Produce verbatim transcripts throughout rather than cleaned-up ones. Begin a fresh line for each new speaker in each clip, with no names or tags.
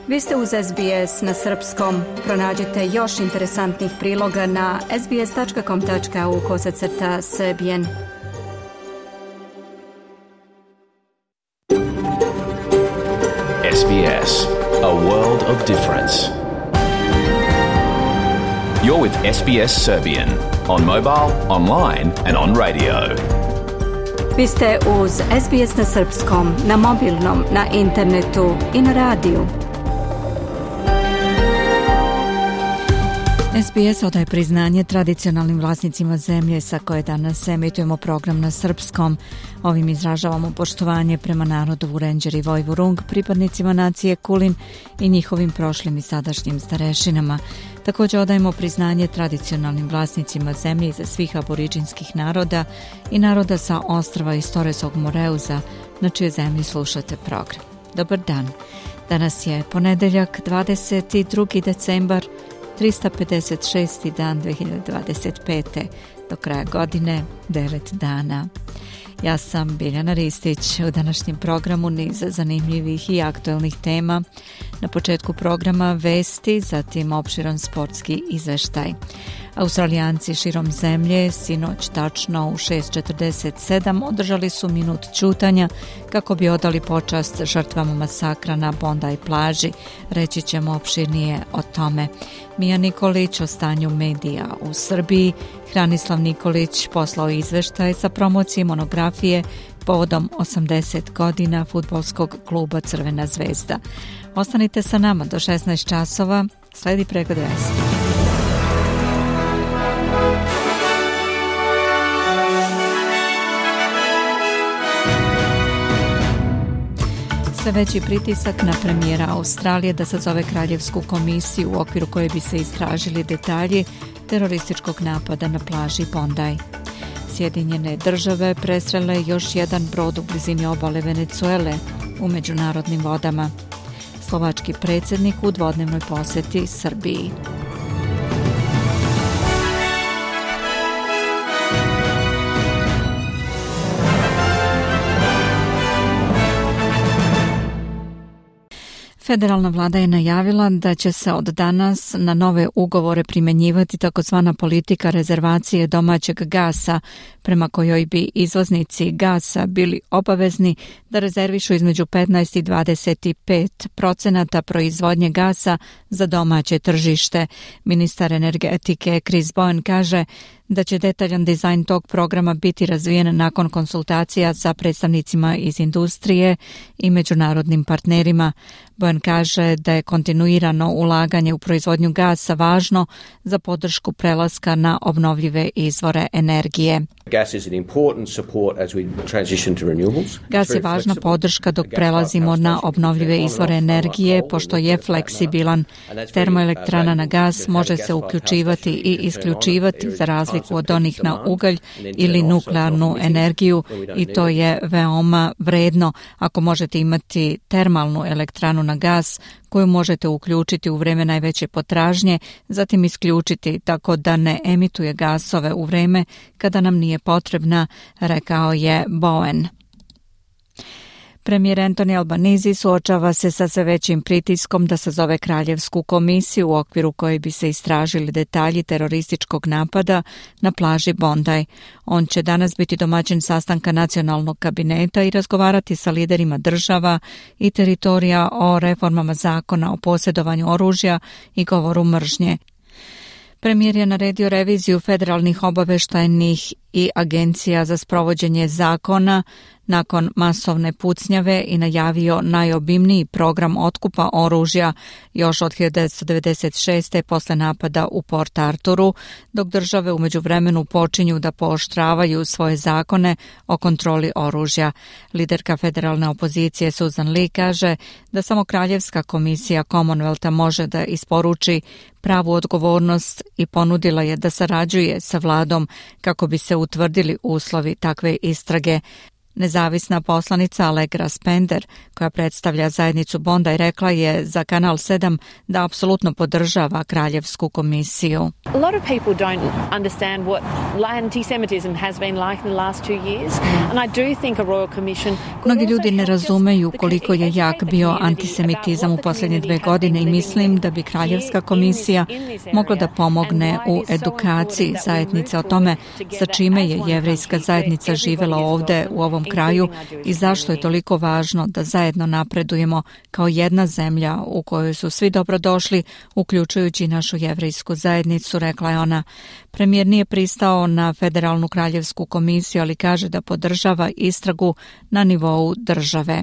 Vi ste uz S B S na srpskom. Pronađite još interesantnih priloga na sbs.com.au kosacrta srbijen.
S B S, a world of difference. You're with S B S Serbian on mobile, online and on radio.
Vi ste uz S B S na srpskom, na mobilnom, na internetu i na radiju. S B S odaje priznanje tradicionalnim vlasnicima zemlje sa koje danas emitujemo program na srpskom. Ovim izražavamo poštovanje prema narodu Vurenđer i Vojvurung, pripadnicima nacije Kulin i njihovim prošlim i sadašnjim starešinama. Također odajemo priznanje tradicionalnim vlasnicima zemlje za svih aboriđinskih naroda i naroda sa ostrva iz Toresog Moreuza, na čije zemlji slušate program. Dobar dan. Danas je ponedeljak, dvadeset drugi decembar, trista pedeset šesti dan dve hiljade dvadeset pete. Do kraja godine devet dana. Ja sam Biljana Ristić. U današnjem programu niz zanimljivih i aktuelnih tema. Na početku programa vesti, zatim opširan sportski izveštaj. Australijanci širom zemlje sinoć tačno u šest četrdeset sedam održali su minut ćutanja kako bi odali počast žrtvama masakra na Bondi plaži. Reći ćemo opširnije o tome. Mija Nikolić o stanju medija u Srbiji. Hranislav Nikolić poslao izveštaj sa promocije monografije povodom osamdeset godina fudbalskog kluba Crvena zvezda. Ostanite sa nama do šesnaest časova. Sledi pregled vesti. Sve veći pritisak na premijera Australije da sazove kraljevsku komisiju u okviru koje bi se istražili detalji terorističkog napada na plaži Bondi. Sjedinjene države presrele još jedan brod u blizini obale Venecuele u međunarodnim vodama. Slovački predsjednik u dvodnevnoj posjeti Srbiji. Federalna vlada je najavila da će se od danas na nove ugovore primjenjivati takozvana politika rezervacije domaćeg gasa, prema kojoj bi izvoznici gasa bili obavezni da rezervišu između petnaest i dvadeset pet procenata proizvodnje gasa za domaće tržište. Ministar energetike Chris Bowen kaže da će detaljan dizajn tog programa biti razvijen nakon konsultacija sa predstavnicima iz industrije i međunarodnim partnerima. Bowen kaže da je kontinuirano ulaganje u proizvodnju gasa važno za podršku prelaska na obnovljive izvore energije. Gas je važna podrška dok prelazimo na obnovljive izvore energije, pošto je fleksibilan. Termoelektrana na gas može se uključivati i isključivati za razliku od onih na ugalj ili nuklearnu energiju i to je veoma vredno ako možete imati termalnu elektranu na gas koju možete uključiti u vreme najveće potražnje, zatim isključiti tako da ne emituje gasove u vreme kada nam nije potrebna, rekao je Bowen. Premijer Anthony Albanese suočava se sa sve većim pritiskom da sazove kraljevsku komisiju u okviru koje bi se istražili detalji terorističkog napada na plaži Bondi. On će danas biti domaćin sastanka nacionalnog kabineta i razgovarati sa liderima država i teritorija o reformama zakona o posjedovanju oružja i govoru mržnje. Premijer je naredio reviziju federalnih obaveštajnih i agencija za sprovođenje zakona nakon masovne pucnjave i najavio najobimniji program otkupa oružja još od hiljadu devetsto devedeset šeste. posle napada u Port Arturu, dok države u međuvremenu počinju da pooštravaju svoje zakone o kontroli oružja. Liderka federalne opozicije Susan Lee kaže da samo Kraljevska komisija Commonwealtha može da isporuči pravu odgovornost i ponudila je da sarađuje sa vladom kako bi se utvrdili uslovi takve istrage. Nezavisna poslanica Allegra Spender, koja predstavlja zajednicu Bondi, rekla je za Kanal sedam da apsolutno podržava Kraljevsku komisiju.
A lot of people don't understand what anti-Semitism has been like in the last two years, and I do think a Royal Commission.
Mnogi ljudi ne razumeju koliko je jak bio antisemitizam u posljednje dve godine i mislim da bi Kraljevska komisija mogla da pomogne u edukaciji zajednice o tome sa čime je jevrejska zajednica živela ovde u ovom kraju i zašto je toliko važno da zajedno napredujemo kao jedna zemlja u kojoj su svi dobrodošli, uključujući našu jevrejsku zajednicu, rekla je ona. Premijer nije pristao na Federalnu kraljevsku komisiju, ali kaže da podržava istragu na nivou države.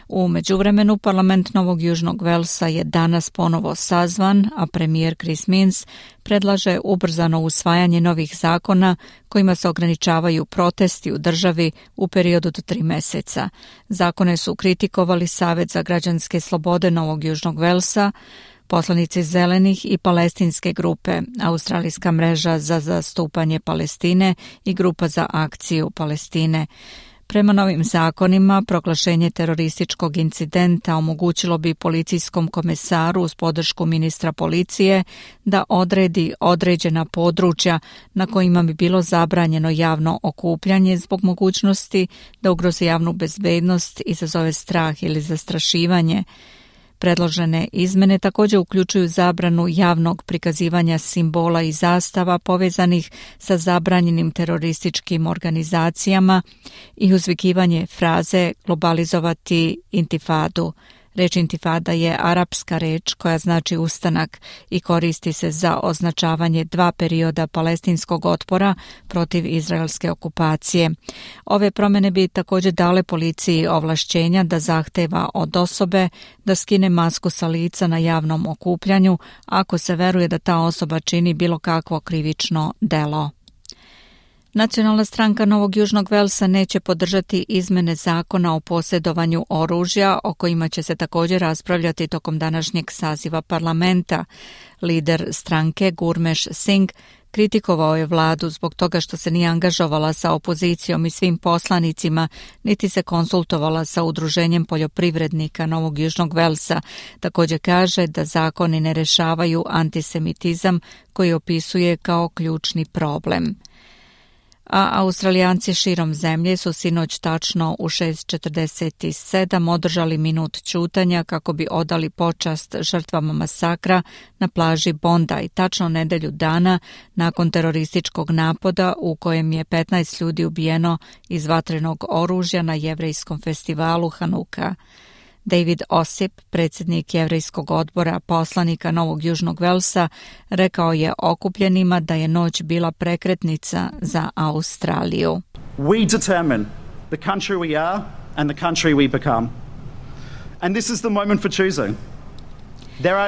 U međuvremenu parlament Novog Južnog Velsa je danas ponovo sazvan, a premijer Chris Minns predlaže ubrzano usvajanje novih zakona kojima se ograničavaju protesti u državi u periodu do tri meseca. Zakone su kritikovali Savet za građanske slobode Novog Južnog Velsa, poslanici Zelenih i palestinske grupe, Australijska mreža za zastupanje Palestine i Grupa za akciju Palestine. Prema novim zakonima, proglašenje terorističkog incidenta omogućilo bi policijskom komesaru uz podršku ministra policije da odredi određena područja na kojima bi bilo zabranjeno javno okupljanje zbog mogućnosti da ugrozi javnu bezbednost, izazove strah ili zastrašivanje. Predložene izmene također uključuju zabranu javnog prikazivanja simbola i zastava povezanih sa zabranjenim terorističkim organizacijama i uzvikivanje fraze globalizovati intifadu. Reč intifada je arapska reč koja znači ustanak i koristi se za označavanje dva perioda palestinskog otpora protiv izraelske okupacije. Ove promjene bi također dale policiji ovlašćenja da zahteva od osobe da skine masku sa lica na javnom okupljanju ako se veruje da ta osoba čini bilo kakvo krivično delo. Nacionalna stranka Novog Južnog Velsa neće podržati izmene zakona o posjedovanju oružja, o kojima će se također raspravljati tokom današnjeg saziva parlamenta. Lider stranke Gurmesh Singh kritikovao je vladu zbog toga što se nije angažovala sa opozicijom i svim poslanicima, niti se konsultovala sa udruženjem poljoprivrednika Novog Južnog Velsa. Također kaže da zakoni ne rešavaju antisemitizam koji opisuje kao ključni problem. A Australijanci širom zemlje su sinoć tačno u šest četrdeset sedam održali minut ćutanja kako bi odali počast žrtvama masakra na plaži Bondi, tačno nedelju dana nakon terorističkog napada u kojem je petnaest ljudi ubijeno iz vatrenog oružja na jevrejskom festivalu Hanuka. David Osip, predsjednik jevrejskog odbora poslanika Novog Južnog Velsa, rekao je okupljenima da je noć bila prekretnica za Australiju.
We determine the country we are and the country we become. And this is the moment for choosing.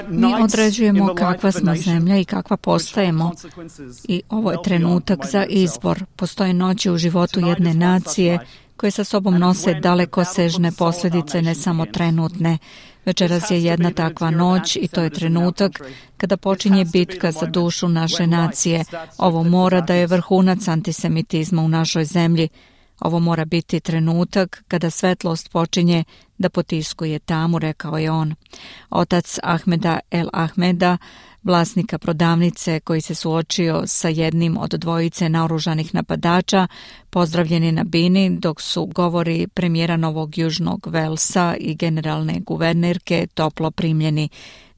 Mi određujemo kakva smo zemlja i kakva postajemo i ovo je trenutak za izbor. Postoje noći u životu jedne nacije koje sa sobom nose dalekosežne posljedice, ne samo trenutne. Večeras je jedna takva noć i to je trenutak kada počinje bitka za dušu naše nacije. Ovo mora da je vrhunac antisemitizma u našoj zemlji. Ovo mora biti trenutak kada svetlost počinje da potiskuje tamu, rekao je on. Otac Ahmeda El Ahmeda, vlasnika prodavnice koji se suočio sa jednim od dvojice naoružanih napadača, pozdravljen je na bini dok su govori premijera Novog Južnog Velsa i generalne guvernerke toplo primljeni.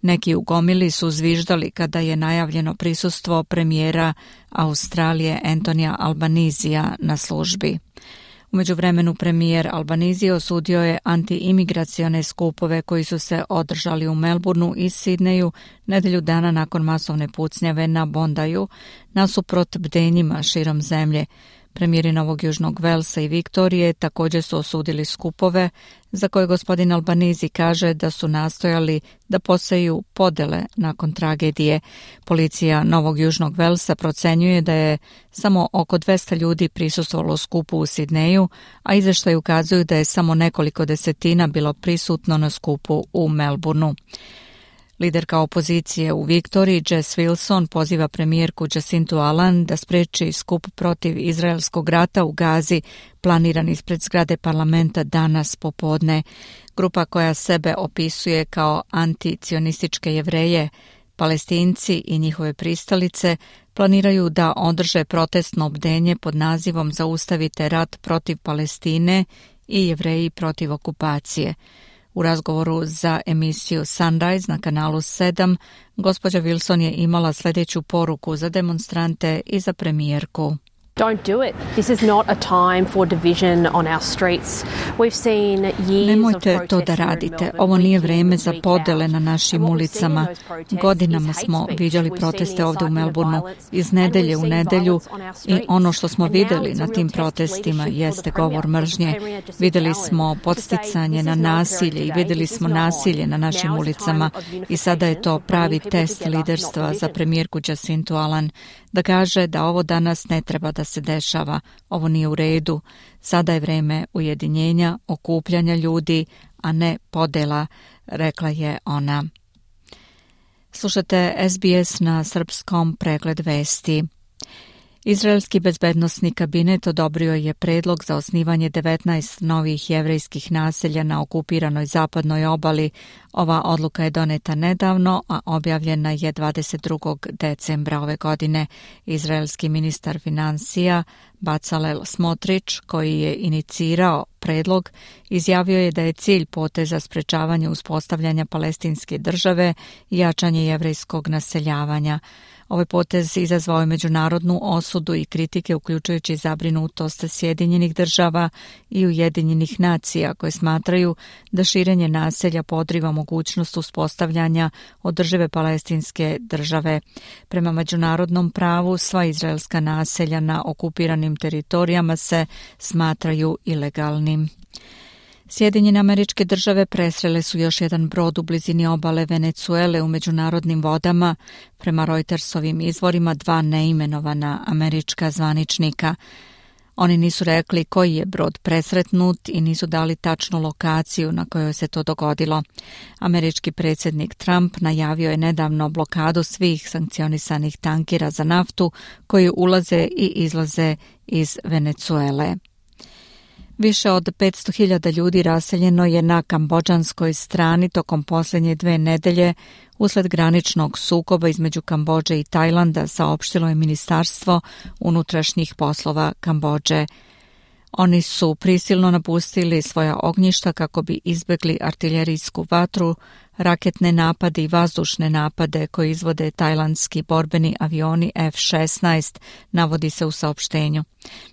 Neki u gomili su zviždali kada je najavljeno prisustvo premijera Australije Antonija Albanizija na službi. U međuvremenu premijer Albanizije osudio je antiimigracione skupove koji su se održali u Melbourneu i Sidneju nedelju dana nakon masovne pucnjave na Bondiju nasuprot bdenjima širom zemlje. Premijeri Novog Južnog Velsa i Viktorije također su osudili skupove za koje gospodin Albanizi kaže da su nastojali da poseju podele nakon tragedije. Policija Novog Južnog Velsa procenjuje da je samo oko dvesta ljudi prisustvovalo skupu u Sidneju, a izvještaji ukazuju da je samo nekoliko desetina bilo prisutno na skupu u Melbourneu. Liderka opozicije u Viktoriji, Jess Wilson, poziva premijerku Jacintu Allan da spreči skup protiv izraelskog rata u Gazi, planiran ispred zgrade parlamenta danas popodne. Grupa koja sebe opisuje kao anticionističke Jevreje, Palestinci i njihove pristalice planiraju da održe protestno bdenje pod nazivom Zaustavite rat protiv Palestine i Jevreji protiv okupacije. U razgovoru za emisiju Sunrise na kanalu sedam, gospođa Wilson je imala sljedeću poruku za demonstrante i za premijerku.
Don't do it. This is not a time for division on our streets. We've seen years
Nemojte to da radite. Ovo nije vreme za podele na našim ulicama. Godinama smo viđali proteste ovdje u Melbourneu iz nedelje u nedelju i ono što smo vidjeli na tim protestima jeste govor mržnje. Vidjeli smo podsticanje na nasilje i vidjeli smo nasilje na našim ulicama i sada je to pravi test liderstva za premijerku Jacintu Allan da kaže da ovo danas ne treba da se dešava, ovo nije u redu. Sada je vreme ujedinjenja, okupljanja ljudi, a ne podela, rekla je ona. Slušate S B S na srpskom, pregled vesti. Izraelski bezbednosni kabinet odobrio je predlog za osnivanje devetnaest novih jevrejskih naselja na okupiranoj zapadnoj obali. Ova odluka je doneta nedavno, a objavljena je dvadeset drugog decembra ove godine. Izraelski ministar finansija Bezalel Smotrić, koji je inicirao predlog, izjavio je da je cilj poteza sprečavanje uspostavljanja palestinske države i jačanje jevrejskog naseljavanja. Ovaj potez izazvao je međunarodnu osudu i kritike, uključujući zabrinutost Sjedinjenih država i Ujedinjenih nacija, koje smatraju da širenje naselja podriva mogućnost uspostavljanja održive palestinske države. Prema međunarodnom pravu, sva izraelska naselja na okupiranim teritorijama se smatraju ilegalnim. Sjedinjene Američke Države presrele su još jedan brod u blizini obale Venecuele u međunarodnim vodama. Prema Reutersovim izvorima, dva neimenovana američka zvaničnika. Oni nisu rekli koji je brod presretnut i nisu dali tačnu lokaciju na kojoj se to dogodilo. Američki predsjednik Trump najavio je nedavno blokadu svih sankcionisanih tankera za naftu koji ulaze i izlaze iz Venecuele. Više od petsto hiljada ljudi raseljeno je na kambodžanskoj strani tokom posljednje dve nedelje usled graničnog sukoba između Kambodže i Tajlanda, saopštilo je Ministarstvo unutrašnjih poslova Kambodže. Oni su prisilno napustili svoja ognjišta kako bi izbjegli artiljerijsku vatru, raketne napade i vazdušne napade koje izvode tajlandski borbeni avioni F šesnaest, navodi se u saopštenju.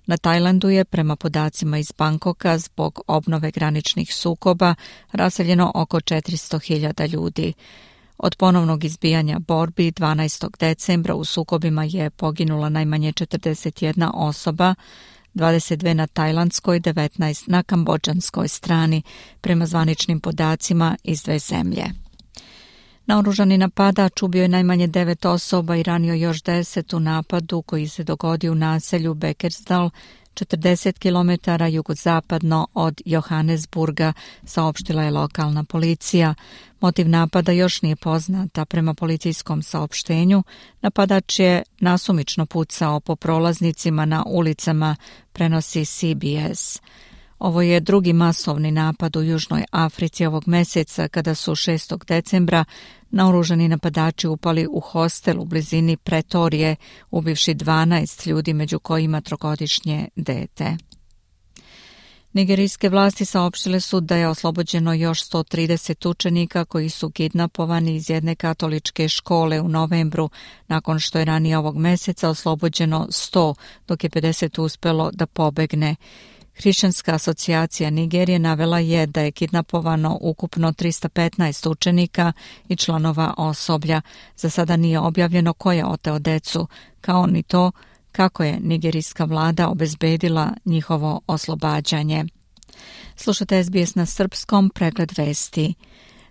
Na Tajlandu je, prema podacima iz Bangkoka, zbog obnove graničnih sukoba raseljeno oko četiristo hiljada ljudi. Od ponovnog izbijanja borbi dvanaestog decembra u sukobima je poginula najmanje četrdeset jedna osoba, dvadeset dve na tajlandskoj, devetnaest na kambodžanskoj strani, prema zvaničnim podacima iz dve zemlje. Naoružani napadač ubio je najmanje devet osoba i ranio još deset u napadu koji se dogodio u naselju Beckersdal, četrdeset kilometara jugozapadno od Johannesburga, saopštila je lokalna policija. Motiv napada još nije poznat, a prema policijskom saopštenju napadač je nasumično pucao po prolaznicima na ulicama, prenosi C B S. Ovo je drugi masovni napad u Južnoj Africi ovog mjeseca, kada su šestog decembra naoružani napadači upali u hostel u blizini Pretorije, ubivši dvanaest ljudi, među kojima trogodišnje dete. Nigerijske vlasti saopštile su da je oslobođeno još sto trideset učenika koji su kidnapovani iz jedne katoličke škole u novembru, nakon što je ranije ovog mjeseca oslobođeno sto, dok je pedeset uspjelo da pobegne. Hrišćanska asocijacija Nigerije navela je da je kidnapovano ukupno trista petnaest učenika i članova osoblja. Za sada nije objavljeno ko je oteo decu, kao ni to kako je nigerijska vlada obezbedila njihovo oslobađanje. Slušate S B S na srpskom, pregled vesti.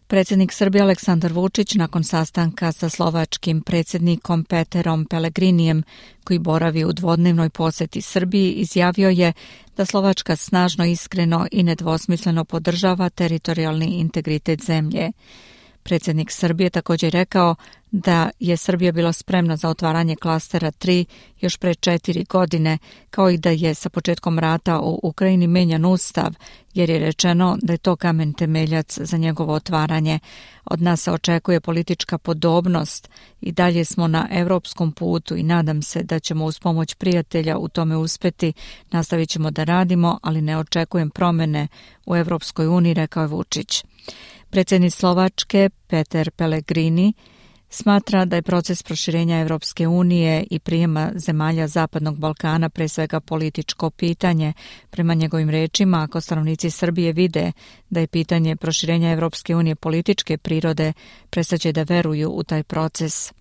Predsjednik Srbije Aleksandar Vučić nakon sastanka sa slovačkim predsjednikom Peterom Pellegrinijem, koji boravi u dvodnevnoj posjeti Srbiji, izjavio je da Slovačka snažno, iskreno i nedvosmisleno podržava teritorijalni integritet zemlje. Predsjednik Srbije također rekao da je Srbija bila spremna za otvaranje klastera tri još pre četiri godine, kao i da je sa početkom rata u Ukrajini menjan ustav, jer je rečeno da je to kamen temeljac za njegovo otvaranje. Od nas se očekuje politička podobnost i dalje smo na evropskom putu i nadam se da ćemo uz pomoć prijatelja u tome uspeti. Nastavit ćemo da radimo, ali ne očekujem promjene u Evropskoj uniji, rekao je Vučić. Predsjednik Slovačke Peter Pellegrini smatra da je proces proširenja Evropske unije i prijema zemalja Zapadnog Balkana pre svega političko pitanje. Prema njegovim rečima, ako stanovnici Srbije vide da je pitanje proširenja Evropske unije političke prirode, prestaće da veruju u taj proces.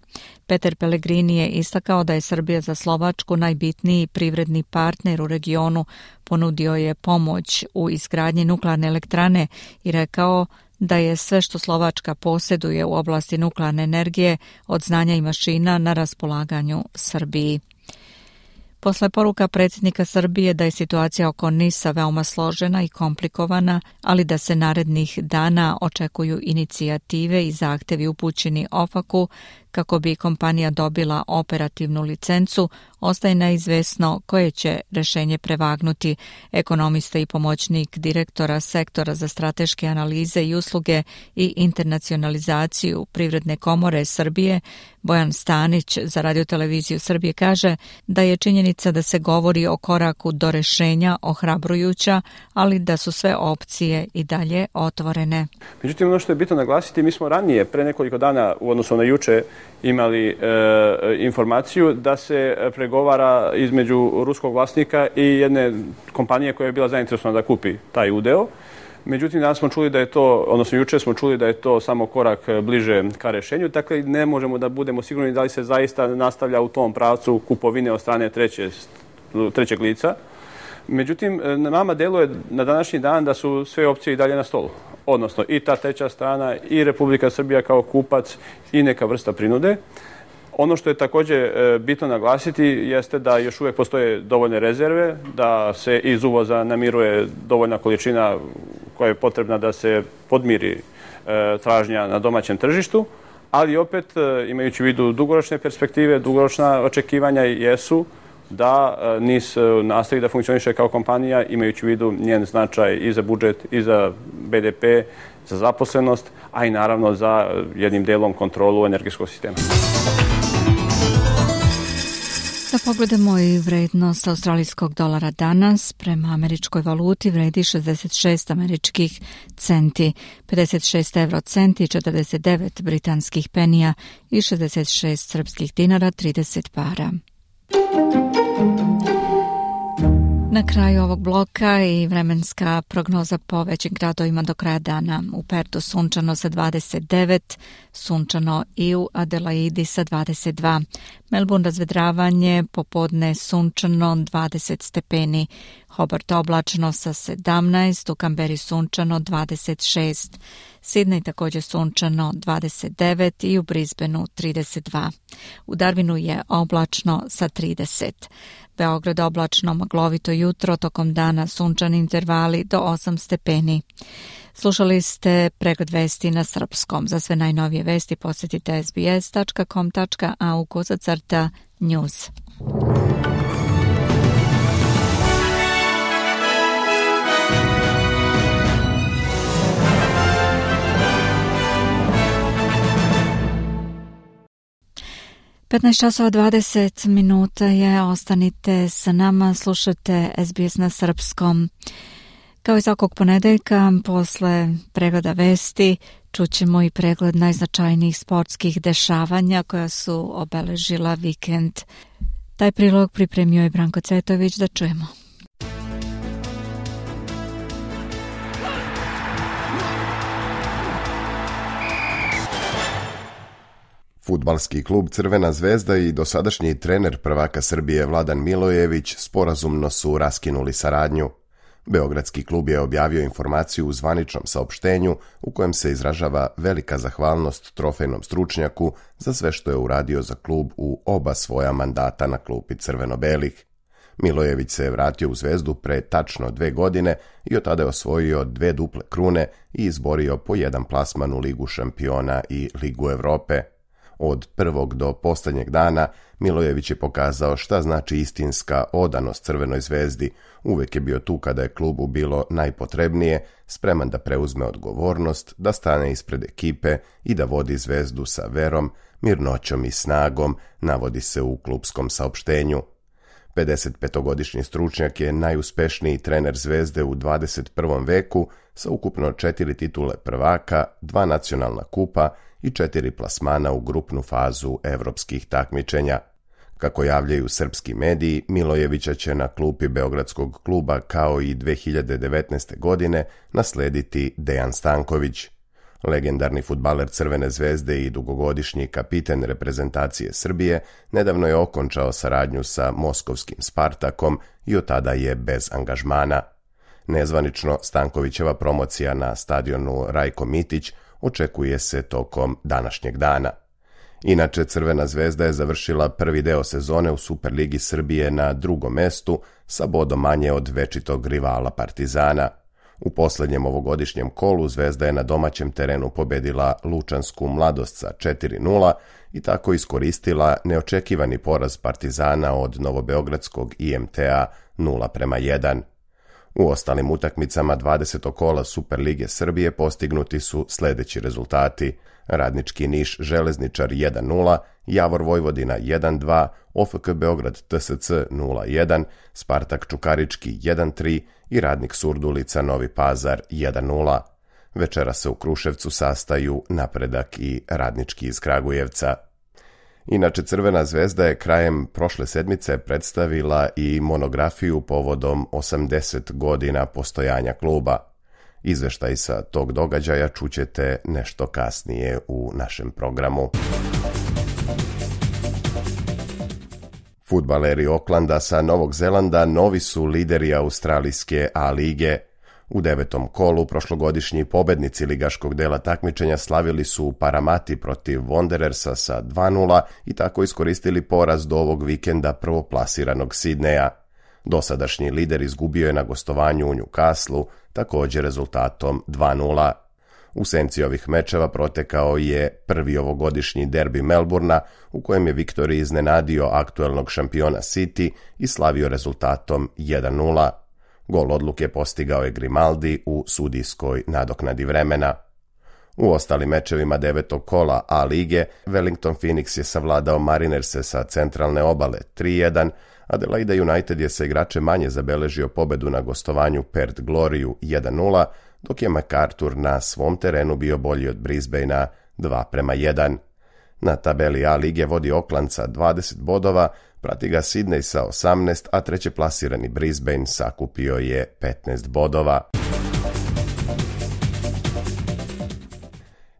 Peter Pellegrini je istakao da je Srbija za Slovačku najbitniji privredni partner u regionu, ponudio je pomoć u izgradnji nuklearne elektrane i rekao da je sve što Slovačka posjeduje u oblasti nuklearne energije od znanja i mašina na raspolaganju Srbiji. Posle poruka predsjednika Srbije da je situacija oko NIS-a veoma složena i komplikovana, ali da se narednih dana očekuju inicijative i zahtevi upućeni O F A C-u kako bi kompanija dobila operativnu licencu, ostaje neizvesno koje će rješenje prevagnuti. Ekonomista i pomoćnik direktora sektora za strateške analize i usluge i internacionalizaciju Privredne komore Srbije, Bojan Stanić za radioteleviziju Srbije kaže da je činjenica da se govori o koraku do rješenja ohrabrujuća, ali da su sve opcije i dalje otvorene.
Međutim, ono što je bitno naglasiti, mi smo ranije, pre nekoliko dana u odnosu na juče, imali e, informaciju da se pregovara između ruskog vlasnika i jedne kompanije koja je bila zainteresovana da kupi taj udeo. Međutim, danas smo čuli da je to, odnosno juče smo čuli da je to samo korak bliže ka rešenju, dakle ne možemo da budemo sigurni da li se zaista nastavlja u tom pravcu kupovine od strane treće, trećeg lica. Međutim, nama deluje na današnji dan da su sve opcije i dalje na stolu. Odnosno i ta treća strana i Republika Srbija kao kupac i neka vrsta prinude. Ono što je također bitno naglasiti jeste da još uvijek postoje dovoljne rezerve, da se iz uvoza namiruje dovoljna količina koja je potrebna da se podmiri tražnja na domaćem tržištu, ali opet imajući u vidu dugoročne perspektive, dugoročna očekivanja jesu da NIS nastavi da funkcioniše kao kompanija, imajući u vidu njen značaj i za budžet, i za B D P, za zaposlenost, a i naravno za jednim delom kontrolu energetskog sistema.
Da pogledamo i vrednost australijskog dolara danas. Prema američkoj valuti vredi šezdeset šest američkih centi, pedeset šest euro centi, četrdeset devet britanskih penija i šezdeset šest srpskih dinara, trideset para. Na kraju ovog bloka i vremenska prognoza po većim gradovima do kraja dana. U Pertu sunčano sa dvadeset devet, sunčano i u Adelaidi sa dvadeset dva. Melbourne razvedravanje, popodne sunčano dvadeset stepeni. Hobart oblačno sa sedamnaest, u Kamberi sunčano dvadeset šest. Sydney također sunčano dvadeset devet i u Brisbaneu trideset dva. U Darwinu je oblačno sa trideset. Beograd oblačno, maglovito jutro, tokom dana sunčani intervali do osam stepeni. Slušali ste pregled vesti na srpskom. Za sve najnovije vesti posjetite s b s tačka com tačka a u kozacrta news. petnaest časova dvadeset minuta je, ostanite sa nama, slušate S B S na srpskom. Kao i svakog ponedeljka, posle pregleda vesti, čućemo i pregled najznačajnijih sportskih dešavanja koja su obeležila vikend. Taj prilog pripremio je Branko Cvetović, da čujemo.
Fudbalski klub Crvena zvezda i dosadašnji trener prvaka Srbije Vladan Milojević sporazumno su raskinuli saradnju. Beogradski klub je objavio informaciju u zvaničnom saopštenju u kojem se izražava velika zahvalnost trofejnom stručnjaku za sve što je uradio za klub u oba svoja mandata na klupi crveno-belih. Milojević se vratio u Zvezdu pre tačno dve godine i od tada je osvojio dve duple krune i izborio po jedan plasman u Ligu šampiona i Ligu Evrope. Od prvog do posljednjeg dana Milojević je pokazao šta znači istinska odanost Crvenoj Zvezdi. Uvijek je bio tu kada je klubu bilo najpotrebnije, spreman da preuzme odgovornost, da stane ispred ekipe i da vodi Zvezdu sa verom, mirnoćom i snagom, navodi se u klupskom saopštenju. pedesetpetogodišnji stručnjak je najuspešniji trener Zvezde u dvadeset prvom veku sa ukupno četiri titule prvaka, dva nacionalna kupa i četiri plasmana u grupnu fazu evropskih takmičenja. Kako javljaju srpski mediji, Milojevića će na klupi Beogradskog kluba kao i dve hiljade devetnaeste. godine naslediti Dejan Stanković. Legendarni fudbaler Crvene Zvezde i dugogodišnji kapiten reprezentacije Srbije nedavno je okončao saradnju sa moskovskim Spartakom i od tada je bez angažmana. Nezvanično, Stankovićeva promocija na stadionu Rajko Mitić očekuje se tokom današnjeg dana. Inače, Crvena Zvezda je završila prvi deo sezone u Superligi Srbije na drugom mestu sa bodom manje od večitog rivala Partizana. U posljednjem ovogodišnjem kolu Zvezda je na domaćem terenu pobedila Lučansku Mladost sa četiri nula i tako iskoristila neočekivani poraz Partizana od novobeogradskog I M T-a nula prema jedan. U ostalim utakmicama dvadesetog kola Superlige Srbije postignuti su sljedeći rezultati: Radnički Niš Železničar jedan nula, Javor Vojvodina jedan dva, O F K Beograd T S C nula jedan, Spartak Čukarički jedan tri i Radnik Surdulica Novi Pazar jedan nula. Večera se u Kruševcu sastaju Napredak i Radnički iz Kragujevca. Inače, Crvena Zvezda je krajem prošle sedmice predstavila i monografiju povodom osamdeset godina postojanja kluba. Izveštaj sa tog događaja čućete nešto kasnije u našem programu. Fudbaleri Oklanda sa Novog Zelanda novi su lideri australijske A lige. U devetom kolu prošlogodišnji pobednici ligaškog dela takmičenja slavili su u Paramati protiv Wanderersa sa dva nula i tako iskoristili poraz do ovog vikenda prvoplasiranog Sidneja. Dosadašnji lider izgubio je na gostovanju u Newcastle, također rezultatom dva nula. U senci ovih mečeva protekao je prvi ovogodišnji derbi Melbourna, u kojem je Victory iznenadio aktuelnog šampiona City i slavio rezultatom jedan nula. Gol odluke postigao je Grimaldi u sudijskoj nadoknadi vremena. U ostalim mečevima devetog kola A lige Wellington Phoenix je savladao Marinerse sa centralne obale tri jedan, Adelaide United je sa igrače manje zabeležio pobedu na gostovanju Perth Gloriju jedan nula, dok je MacArthur na svom terenu bio bolji od Brisbanea dva prema jedan. Na tabeli A lige vodi Auckland sa dvadeset bodova, prati ga Sydney sa osamnaest, a treće plasirani Brisbane sakupio je petnaest bodova.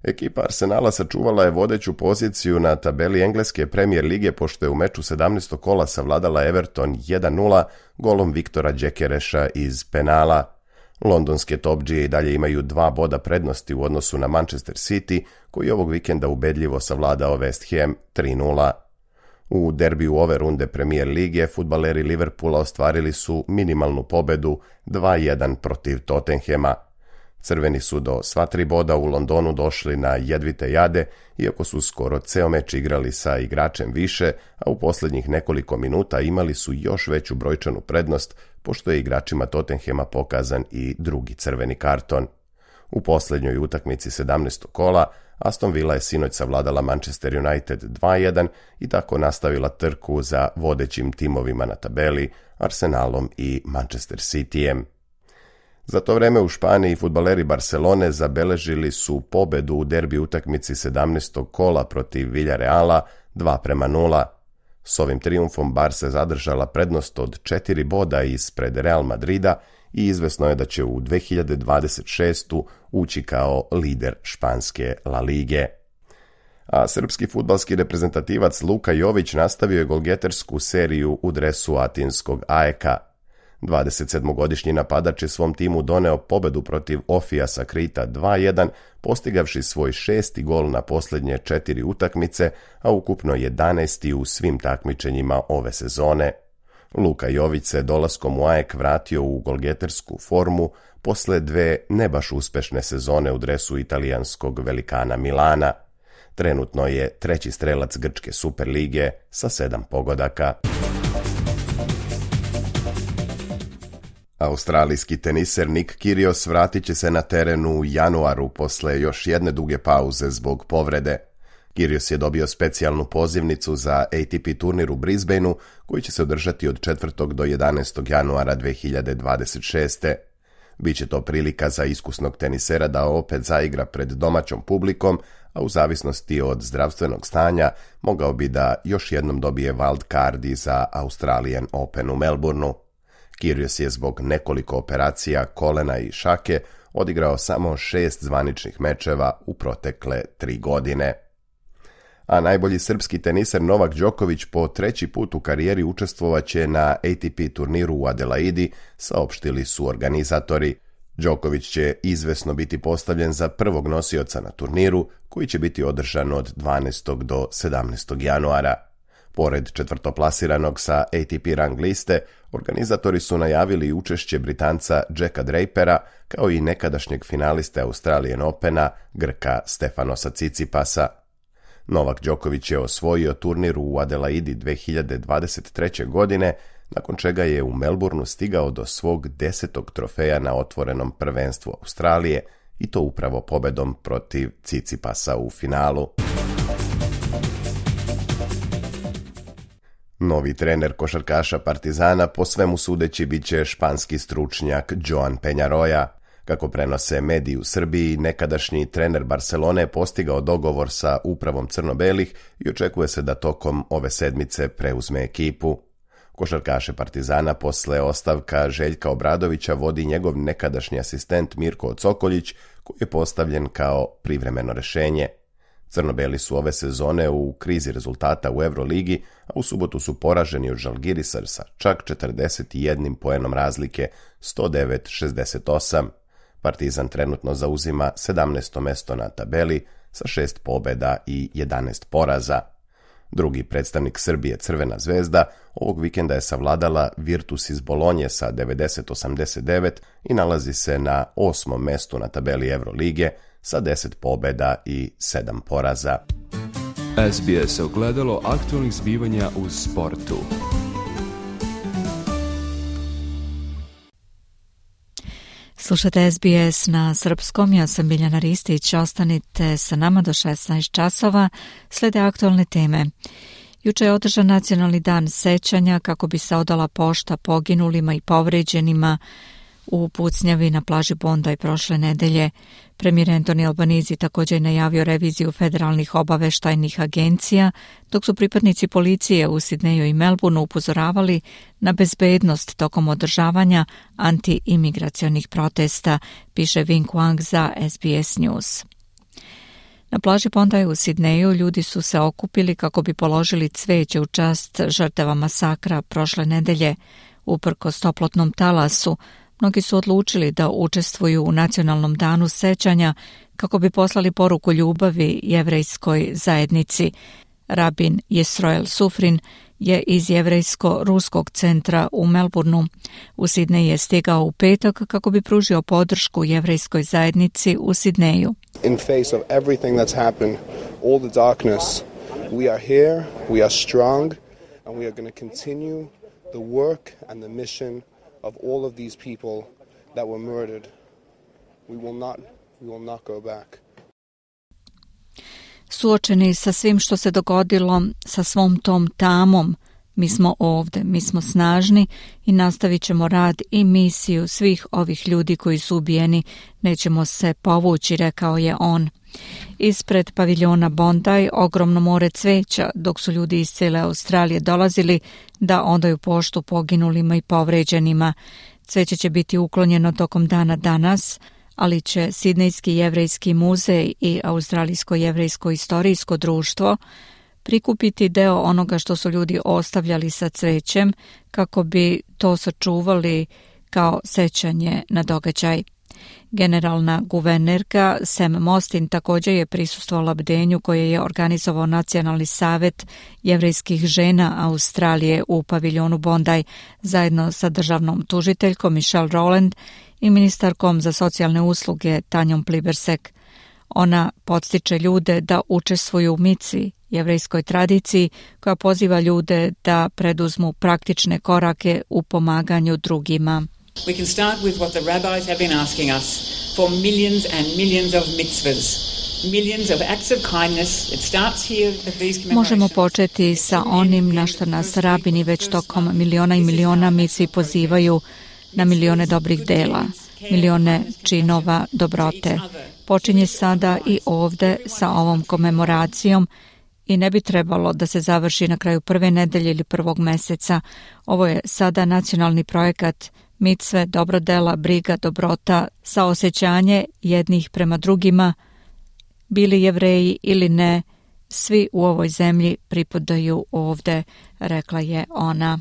Ekipa Arsenala sačuvala je vodeću poziciju na tabeli engleske Premier lige pošto je u meču sedamnaestog kola savladala Everton jedan nula golom Viktora Gjekereša iz penala. Londonske topdžije i dalje imaju dva boda prednosti u odnosu na Manchester City, koji ovog vikenda ubedljivo savladao West Ham tri nula. U derbiju ove runde Premier lige fudbaleri Liverpoola ostvarili su minimalnu pobedu dva jedan protiv Tottenhema. Crveni su do sva tri boda u Londonu došli na jedvite jade, iako su skoro ceo meč igrali sa igračem više, a u posljednjih nekoliko minuta imali su još veću brojčanu prednost, pošto je igračima Tottenhema pokazan i drugi crveni karton. U posljednjoj utakmici sedamnaestog kola Aston Villa je sinoć savladala Manchester United dva jedan i tako nastavila trku za vodećim timovima na tabeli, Arsenalom i Manchester Cityjem. Za to vreme u Španiji fudbaleri Barcelone zabeležili su pobedu u derbi utakmici sedamnaestog kola protiv Villareala dva prema nula. S ovim trijumfom Barca zadržala prednost od četiri boda ispred Real Madrida i izvesno je da će u dve hiljade dvadeset šeste. ući kao lider španske La Lige. A srpski fudbalski reprezentativac Luka Jović nastavio je golgetersku seriju u dresu atinskog A E K-a. dvadesetsedmogodišnji napadač je svom timu doneo pobedu protiv Ofijasa Krita dva jedan, postigavši svoj šesti gol na posljednje četiri utakmice, a ukupno jedanaesti u svim takmičenjima ove sezone. Luka Jović se dolaskom u A E K vratio u golgetersku formu posle dve ne baš uspešne sezone u dresu italijanskog velikana Milana. Trenutno je treći strelac grčke Superlige sa sedam pogodaka. Australijski teniser Nick Kyrgios vratit će se na teren u januaru posle još jedne duge pauze zbog povrede. Kyrgios je dobio specijalnu pozivnicu za A T P turnir u Brisbaneu koji će se održati od četvrtog do jedanaestog januara dve hiljade dvadeset šeste. Biće to prilika za iskusnog tenisera da opet zaigra pred domaćom publikom, a u zavisnosti od zdravstvenog stanja mogao bi da još jednom dobije wild card i za Australian Open u Melbourneu. Kyrgios je zbog nekoliko operacija kolena i šake odigrao samo šest zvaničnih mečeva u protekle tri godine. A najbolji srpski teniser Novak Đoković po treći put u karijeri učestvovaće na A T P turniru u Adelaidi, saopštili su organizatori. Đoković će izvesno biti postavljen za prvog nosioca na turniru, koji će biti održan od dvanaestog do sedamnaestog januara. Pored četvrtoplasiranog sa A T P rang liste, organizatori su najavili učešće Britanca Jacka Drapera, kao i nekadašnjeg finaliste Australian Opena, Grka Stefanosa Tsitsipasa. Novak Đoković je osvojio turnir u Adelaidi dve hiljade dvadeset treće. godine, nakon čega je u Melbourneu stigao do svog desetog trofeja na otvorenom prvenstvu Australije, i to upravo pobedom protiv Tsitsipasa u finalu. Novi trener košarkaša Partizana po svemu sudeći bit će španski stručnjak Joan Peñarroya. Kako prenose mediji u Srbiji, nekadašnji trener Barcelone je postigao dogovor sa upravom crno-belih i očekuje se da tokom ove sedmice preuzme ekipu. Košarkaše Partizana posle ostavka Željka Obradovića vodi njegov nekadašnji asistent Mirko Cokoljić, koji je postavljen kao privremeno rešenje. Crno-beli su ove sezone u krizi rezultata u Euroligi, a u subotu su poraženi od Žalgirisa sa čak četrdeset jedan poenom razlike, sto devet šezdeset osam. Partizan trenutno zauzima sedamnaesto mesto na tabeli sa šest pobeda i jedanaest poraza. Drugi predstavnik Srbije, Crvena zvezda, ovog vikenda je savladala Virtus iz Bolonje sa devedeset osamdeset devet i nalazi se na osmom mestu na tabeli Evrolige sa deset pobeda i sedam poraza.
S B S ogledalo aktualnih zbivanja u sportu.
Slušate S B S na srpskom, ja sam Biljana Ristić, ostanite sa nama do šesnaest časova, slede aktualne teme. Juče je održan nacionalni dan sećanja kako bi se odala pošta poginulima i povređenima u pucnjavi na plaži Bondi prošle nedelje. Premijer Anthony Albanese također je najavio reviziju federalnih obaveštajnih agencija, dok su pripadnici policije u Sidneju i Melbourneu upozoravali na bezbednost tokom održavanja anti-imigracionih protesta, piše Vinh Wang za S B S News. Na plaži Bondi u Sidneju ljudi su se okupili kako bi položili cveće u čast žrtava masakra prošle nedelje. Uprkos toplotnom talasu, mnogi su odlučili da učestvuju u nacionalnom danu sećanja kako bi poslali poruku ljubavi jevrejskoj zajednici. Rabin Jesroel Sufrin je iz jevrejsko-ruskog centra u Melbourneu. U Sidnej je stigao u petak kako bi pružio podršku jevrejskoj zajednici u Sidneju.
In face of everything that's happened, all the darkness, we are here, we are strong, and we are going to continue the work and the mission of all of these people that were murdered. We will not, we will not go back.
Suočeni sa svim što se dogodilo, sa svom tom tamom, mi smo ovde, mi smo snažni i nastavit ćemo rad i misiju svih ovih ljudi koji su ubijeni, nećemo se povući, rekao je on. Ispred paviljona Bondi ogromno more cveća, dok su ljudi iz cijele Australije dolazili da odaju poštu poginulima i povređenima. Cveće će biti uklonjeno tokom dana danas, ali će Sidnejski jevrejski muzej i Australijsko jevrejsko istorijsko društvo prikupiti deo onoga što su ljudi ostavljali sa cvećem kako bi to sačuvali kao sećanje na događaj. Generalna guvernerka Sam Mostyn također je prisustvovala bdenju koje je organizovao Nacionalni savet jevrejskih žena Australije u paviljonu Bondi zajedno sa državnom tužiteljkom Michelle Rowland i ministarkom za socijalne usluge Tanjom Plibersek. Ona podstiče ljude da učestvuju u mici, jevrejskoj tradiciji koja poziva ljude da preduzmu praktične korake u pomaganju drugima.
We can start with what the rabbis have been asking us for millions and millions of mitzvahs. Millions of acts of kindness. It starts here at these commemorations.
Možemo početi sa onim na što nas rabini već tokom miliona i miliona mitzvi pozivaju, na milione dobrih dela, milione činova dobrote. Počinje sada i ovde sa ovom komemoracijom i ne bi trebalo da se završi na kraju prve nedelje ili prvog meseca. Ovo je sada nacionalni projekat micve, dobrodela, briga, dobrota, saosećanje jednih prema drugima, bili Jevreji ili ne, svi u ovoj zemlji pripadaju ovde, rekla je ona.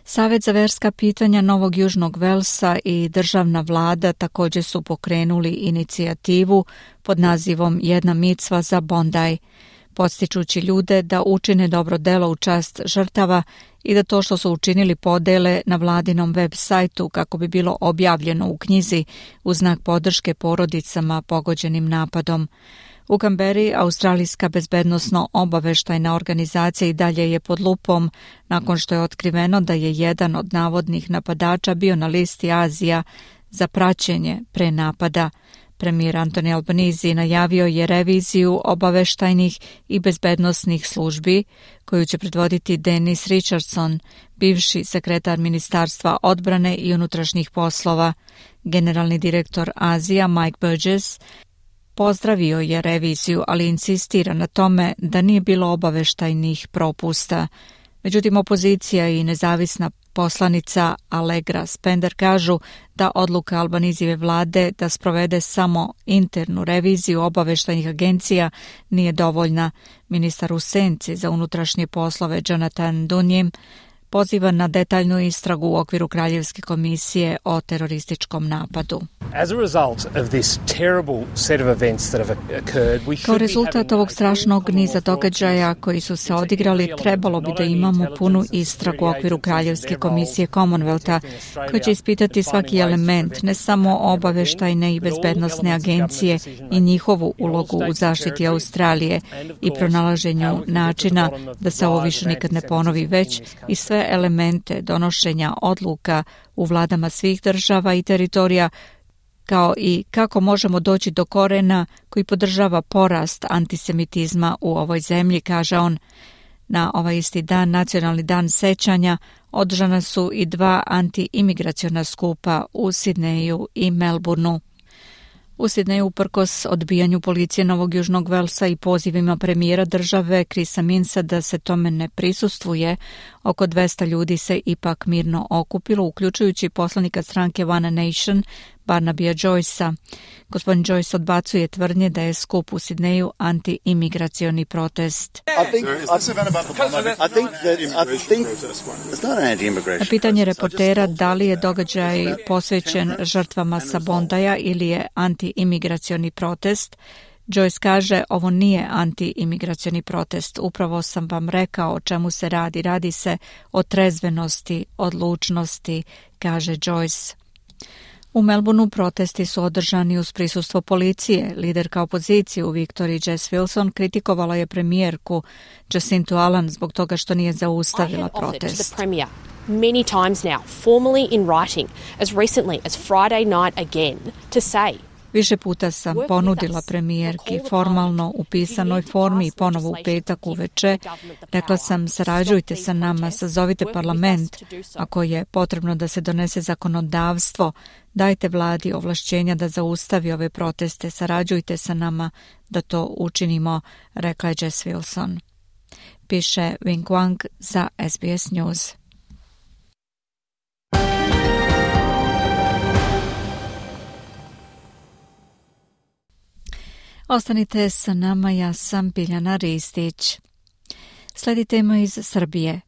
Savet za verska pitanja Novog Južnog Velsa i državna vlada također su pokrenuli inicijativu pod nazivom Jedna micva za Bondi, podstičući ljude da učine dobro delo u čast žrtava i da to što su učinili podele na vladinom web sajtu kako bi bilo objavljeno u knjizi u znak podrške porodicama pogođenim napadom. U Kamberi Australijska bezbednosno-obaveštajna organizacija i dalje je pod lupom nakon što je otkriveno da je jedan od navodnih napadača bio na listi Azija za praćenje pre napada. Premijer Anthony Albanese najavio je reviziju obaveštajnih i bezbednosnih službi koju će predvoditi Dennis Richardson, bivši sekretar Ministarstva odbrane i unutrašnjih poslova. Generalni direktor Azija Mike Burgess pozdravio je reviziju, ali insistira na tome da nije bilo obaveštajnih propusta. Međutim, opozicija i nezavisna poslanica Allegra Spender kažu da odluka Albanizijeve vlade da sprovede samo internu reviziju obaveštajnih agencija nije dovoljna. Ministar u senci za unutrašnje poslove Jonathan Dunjim poziva na detaljnu istragu u okviru Kraljevske komisije o terorističkom napadu. Kao rezultat ovog strašnog niza događaja koji su se odigrali, trebalo bi da imamo punu istragu u okviru Kraljevske komisije Commonwealtha, koja će ispitati svaki element, ne samo obaveštajne i bezbednosne agencije i njihovu ulogu u zaštiti Australije i pronalaženju načina da se ovo više nikad ne ponovi, već i sve elemente donošenja odluka u vladama svih država i teritorija, kao i kako možemo doći do korena koji podržava porast antisemitizma u ovoj zemlji, kaže on. Na ovaj isti dan, Nacionalni dan sećanja, održana su i dva anti-imigraciona skupa u Sidneju i Melbourneu. U Sidneju, uprkos odbijanju policije Novog Južnog Velsa i pozivima premijera države Chrisa Minsa da se tome ne prisustvuje, oko dvesta ljudi se ipak mirno okupilo, uključujući poslanika stranke One Nation, Barnabya Joycea. Gospodin Joyce odbacuje tvrdnje da je skup u Sidneju anti-imigracioni protest. Na pitanje reportera da li je događaj posvećen žrtvama sa Bondaja ili je anti-imigracioni protest, Joyce kaže, ovo nije anti-imigracioni protest. Upravo sam vam rekao o čemu se radi. Radi se o trezvenosti, odlučnosti, kaže Joyce. U Melbourneu protesti su održani uz prisustvo policije. Liderka opozicije u Viktoriji Jess Wilson kritikovala je premijerku Jacintu Allan zbog toga što nije zaustavila protest.
Many times now, formally in writing, as recently as Friday night again, to say
Više puta sam ponudila premijerki formalno u pisanoj formi i ponovo u petak uveče. Rekla sam, sarađujte sa nama, sazovite parlament. Ako je potrebno da se donese zakonodavstvo, dajte vladi ovlašćenja da zaustavi ove proteste, sarađujte sa nama da to učinimo, rekla je Jess Wilson. Piše Wing Wang za S B S News. Ostanite sa nama, ja sam Biljana Ristić. Sledi tema iz Srbije.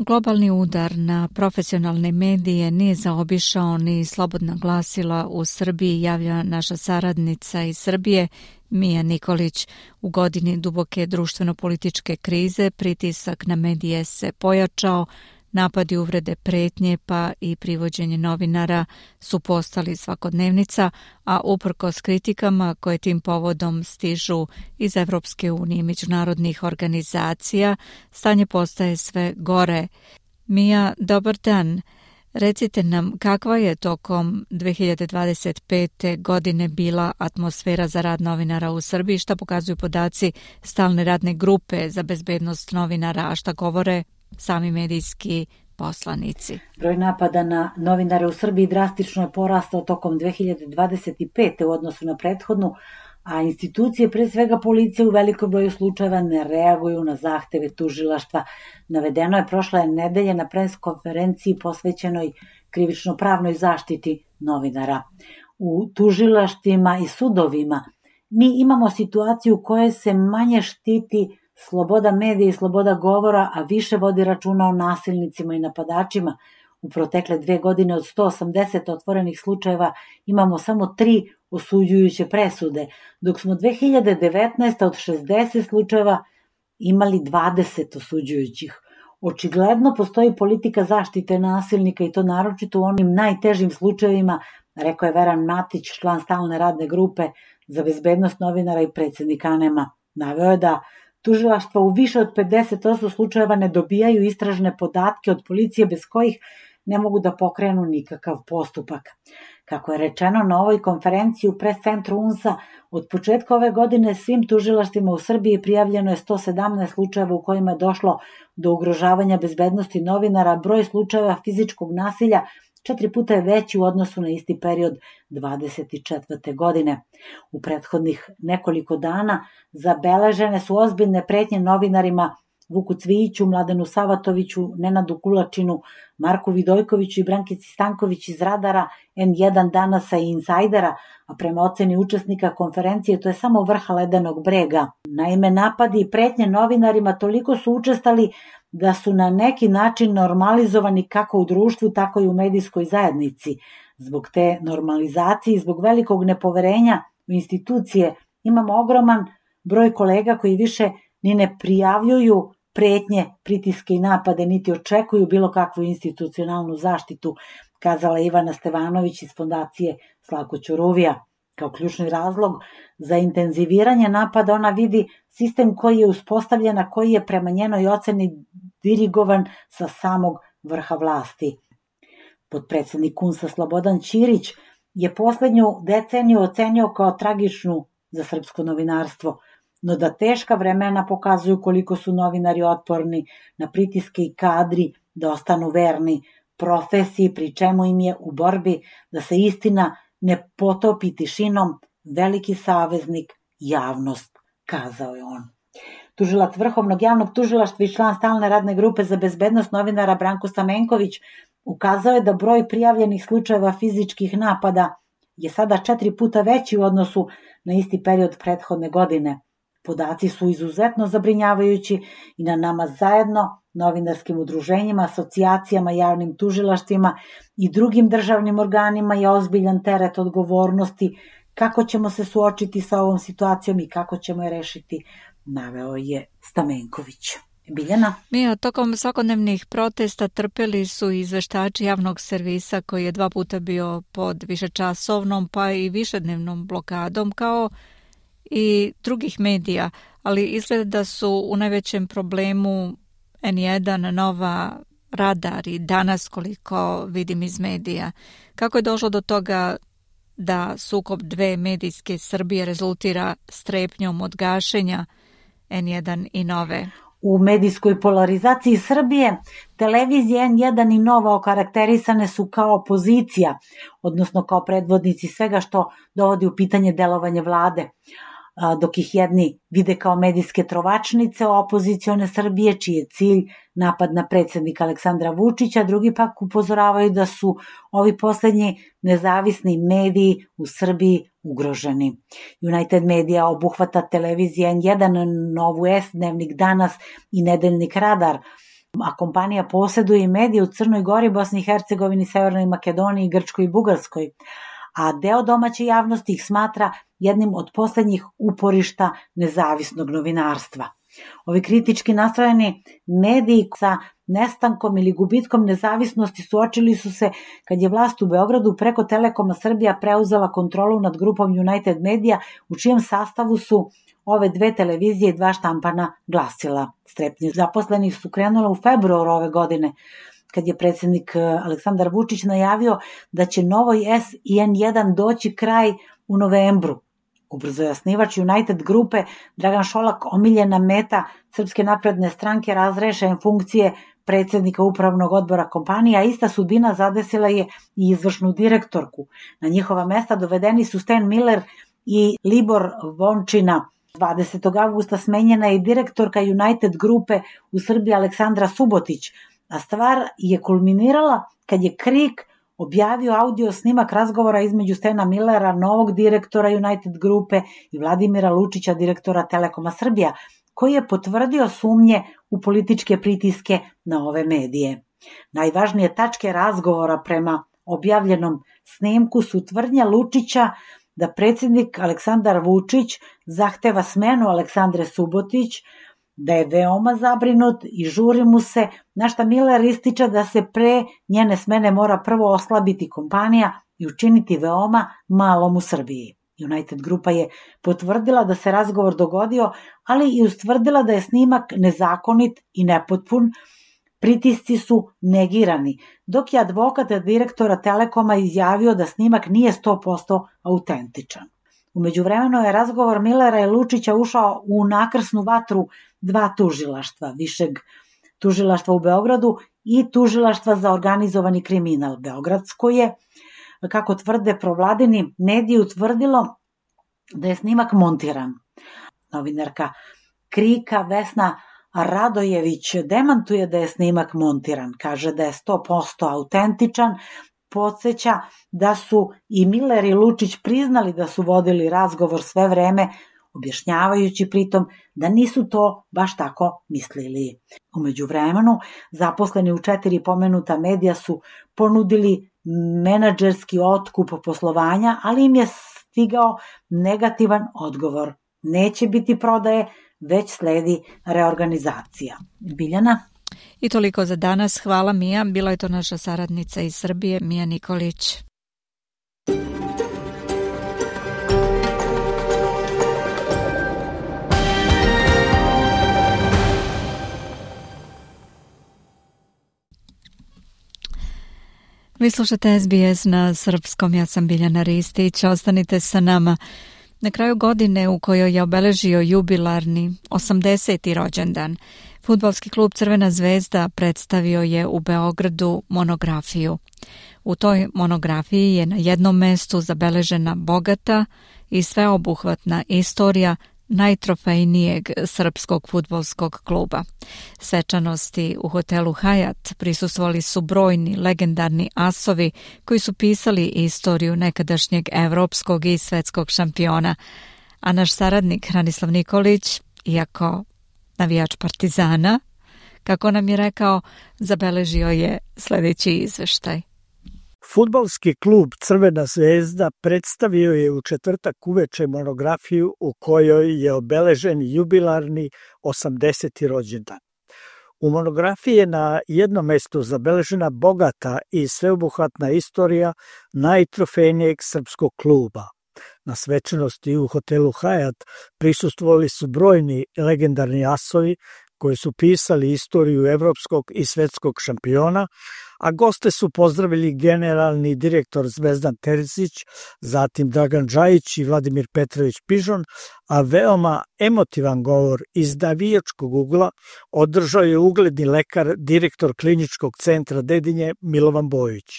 Globalni udar na profesionalne medije nije zaobišao ni slobodna glasila u Srbiji, javlja naša saradnica iz Srbije, Mija Nikolić. U godini duboke društveno-političke krize pritisak na medije se pojačao, napadi, uvrede, pretnje pa i privođenje novinara su postali svakodnevnica, a uprkos kritikama koje tim povodom stižu iz Evropske unije i međunarodnih organizacija, stanje postaje sve gore. Mija, dobar dan. Recite nam kakva je tokom dve hiljade dvadeset pete. godine bila atmosfera za rad novinara u Srbiji, šta pokazuju podaci stalne radne grupe za bezbednost novinara, a šta govore sami medijski poslanici.
Broj napada na novinare u Srbiji drastično je porastao tokom dve hiljade dvadeset pete. u odnosu na prethodnu, a institucije, pre svega policije, u velikom broju slučajeva ne reaguju na zahteve tužilaštva. Navedeno je prošle nedelje na pres konferenciji posvećenoj krivično-pravnoj zaštiti novinara. U tužilaštvima i sudovima mi imamo situaciju u kojoj se manje štiti sloboda medija i sloboda govora, a više vodi računa o nasilnicima i napadačima. U protekle dve godine od sto osamdeset otvorenih slučajeva imamo samo tri osuđujuće presude, dok smo dve hiljade devetnaeste. od šezdeset slučajeva imali dvadeset osuđujućih. Očigledno postoji politika zaštite nasilnika i to naročito u onim najtežim slučajevima, rekao je Veran Matić, član stalne radne grupe za bezbednost novinara i predsednik ANEM-a. Naveo je da tužilaštva u više od pedeset posto slučajeva ne dobijaju istražne podatke od policije bez kojih ne mogu da pokrenu nikakav postupak. Kako je rečeno na ovoj konferenciji u pres centru U N S-a, od početka ove godine svim tužilaštvima u Srbiji prijavljeno je sto sedamnaest slučajeva u kojima je došlo do ugrožavanja bezbednosti novinara, broj slučajeva fizičkog nasilja četiri puta je veći u odnosu na isti period dvadeset četvrte. godine. U prethodnih nekoliko dana zabeležene su ozbiljne pretnje novinarima Vuku Cvijiću, Mladenu Savatoviću, Nenadu Kulačinu, Marku Vidojkoviću i Brankici Stanković iz Radara, N jedan, Danasa i Insajdera, a prema oceni učesnika konferencije to je samo vrh ledenog brega. Naime, napadi i pretnje novinarima toliko su učestali da su na neki način normalizovani kako u društvu, tako i u medijskoj zajednici. Zbog te normalizacije i zbog velikog nepoverenja u institucije imamo ogroman broj kolega koji više ni ne prijavljuju pretnje, pritiske i napade, niti očekuju bilo kakvu institucionalnu zaštitu, kazala Ivana Stevanović iz fondacije Slavko Ćuruvija. Kao ključni razlog za intenziviranje napada ona vidi sistem koji je uspostavljen, a koji je prema njenoj oceni dirigovan sa samog vrha vlasti. Potpredsednik U N S-a Slobodan Ćirić je poslednju deceniju ocenio kao tragičnu za srpsko novinarstvo, no da teška vremena pokazuju koliko su novinari otporni na pritiske i kadri da ostanu verni profesiji, pri čemu im je u borbi da se istina ne potopi tišinom veliki saveznik javnost, kazao je on. Tužilac Vrhovnog javnog tužilaštva i član stalne radne grupe za bezbednost novinara Branko Stamenković ukazao je da broj prijavljenih slučajeva fizičkih napada je sada četiri puta veći u odnosu na isti period prethodne godine. Podaci su izuzetno zabrinjavajući i na nama zajedno, novinarskim udruženjima, asocijacijama, javnim tužilaštvima i drugim državnim organima je ozbiljan teret odgovornosti kako ćemo se suočiti sa ovom situacijom i kako ćemo je rešiti, naveo je Stamenković. Biljana?
Mija, tokom svakodnevnih protesta trpeli su izveštači javnog servisa koji je dva puta bio pod višečasovnom pa i višednevnom blokadom kao i drugih medija, ali izgleda da su u najvećem problemu N jedan, Nova, Radar i Danas, koliko vidim iz medija. Kako je došlo do toga da sukob dve medijske Srbije rezultira strepnjom od gašenja N jedan i Nove?
U medijskoj polarizaciji Srbije televizije N jedan i Nova okarakterisane su kao opozicija, odnosno kao predvodnici svega što dovodi u pitanje delovanje vlade, dok ih jedni vide kao medijske trovačnice opozicione Srbije, čiji je cilj napad na predsjednika Aleksandra Vučića, drugi pak upozoravaju da su ovi poslednji nezavisni mediji u Srbiji ugroženi. United Media obuhvata televizije N jedan, Novu S, Dnevnik Danas i Nedeljnik Radar. A kompanija posjeduje i medije u Crnoj Gori, Bosni i Hercegovini, Severnoj Makedoniji, Grčkoj i Bugarskoj, a deo domaće javnosti ih smatra jednim od posljednjih uporišta nezavisnog novinarstva. Ovi kritički nastrojeni mediji sa nestankom ili gubitkom nezavisnosti suočili su se kad je vlast u Beogradu preko Telekoma Srbija preuzela kontrolu nad grupom United Media, u čijem sastavu su ove dve televizije i dva štampana glasila. Strepnje zaposlenih su krenule u februaru ove godine, kad je predsjednik Aleksandar Vučić najavio da će Novoj S i N jedan doći kraj u novembru. Ubrzo je osnivač United grupe Dragan Šolak, omiljena meta Srpske napredne stranke, razrešen funkcije predsjednika upravnog odbora kompanije, a ista sudbina zadesila je i izvršnu direktorku. Na njihova mesta dovedeni su Stan Miller i Libor Vončina. dvadesetog avgusta smenjena je i direktorka United grupe u Srbiji Aleksandra Subotić, a stvar je kulminirala kad je Krik objavio audio snimak razgovora između Stana Millera, novog direktora United grupe, i Vladimira Lučića, direktora Telekoma Srbija, koji je potvrdio sumnje u političke pritiske na ove medije. Najvažnije tačke razgovora prema objavljenom snimku su tvrdnja Lučića da predsjednik Aleksandar Vučić zahteva smenu Aleksandre Subotić, da je veoma zabrinut i žuri mu se, na šta Miller ističe da se pre njene smene mora prvo oslabiti kompanija i učiniti veoma malom u Srbiji. United grupa je potvrdila da se razgovor dogodio, ali i ustvrdila da je snimak nezakonit i nepotpun. Pritisci su negirani, dok je advokat direktora Telekoma izjavio da snimak nije sto posto autentičan. U međuvremenu je razgovor Millera i Lučića ušao u nakrsnu vatru dva tužilaštva, Višeg tužilaštva u Beogradu i Tužilaštva za organizovani kriminal. Beogradsko je, kako tvrde provladini mediji, utvrdilo da je snimak montiran. Novinarka Krika Vesna Radojević demantuje da je snimak montiran, kaže da je sto posto autentičan, podsjeća da su i Miller i Lučić priznali da su vodili razgovor sve vreme, objašnjavajući pritom da nisu to baš tako mislili. U međuvremenu, zaposleni u četiri pomenuta medija su ponudili menadžerski otkup poslovanja, ali im je stigao negativan odgovor. Neće biti prodaje, već sledi reorganizacija. Biljana?
I toliko za danas. Hvala, Mija. Bila je to naša saradnica iz Srbije, Mija Nikolić. Vi slušate S B S na srpskom, ja sam Biljana Ristić, ostanite sa nama. Na kraju godine u kojoj je obeležio jubilarni osamdeseti rođendan, fudbalski klub Crvena zvezda predstavio je u Beogradu monografiju. U toj monografiji je na jednom mestu zabeležena bogata i sveobuhvatna istorija najtrofejnijeg srpskog fudbalskog kluba. Svečanosti u hotelu Hajat prisustvovali su brojni legendarni asovi koji su pisali istoriju nekadašnjeg evropskog i svetskog šampiona. A naš saradnik Hranislav Nikolić, iako navijač Partizana, kako nam je rekao, zabeležio je sljedeći izveštaj.
Fudbalski klub Crvena zvezda predstavio je u četvrtak uveče monografiju u kojoj je obeležen jubilarni osamdeseti rođendan. U monografiji je na jednom mestu zabeležena bogata i sveobuhvatna istorija najtrofejnijeg srpskog kluba. Na svečanosti u hotelu Hajat prisustvovali su brojni legendarni asovi koji su pisali istoriju evropskog i svetskog šampiona, a goste su pozdravili generalni direktor Zvezdan Terzić, zatim Dragan Džajić i Vladimir Petrović Pižon, a veoma emotivan govor iz navijačkog ugla održao je ugledni lekar, direktor kliničkog centra Dedinje Milovan Bojić.